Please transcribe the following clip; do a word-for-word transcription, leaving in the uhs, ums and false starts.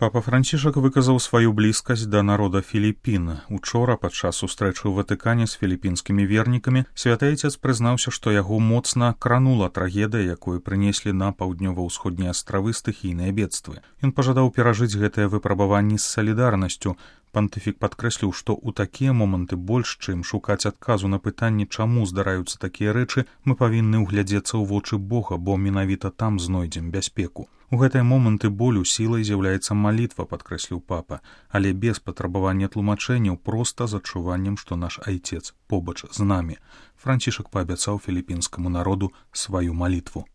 Папа Францішак выказаў сваю блізкасць да народа Філіпін. Учора, падчас сустрэчы ў Ватыкане з філіпінскімі вернікамі, святы айцец прызнаўся, што яго моцна кранула трагедыя, якую прынеслі на паўднёва-ўсходнія астравы стыхійныя бедствы. Ён пажадаў перажыць гэтыя выпрабаванні з салідарнасцю. Пантыфік падкрэсліў, што ў такія моманты больш, чым шукаць адказу на пытанне, чаму здараюцца такія рэчы, мы павінны ўглядзецца ў вочы Бога, бо менавіта там знойдзем бяспеку. У гэтыя моманты болю сілай з'яўляецца малітва, падкрэсліў папа, але без патрабавання тлумачэнняў, проста з адчуваннем, што наш айцец побач з намі. Францішак паабяцаў філіпінскаму народу сваю малітву.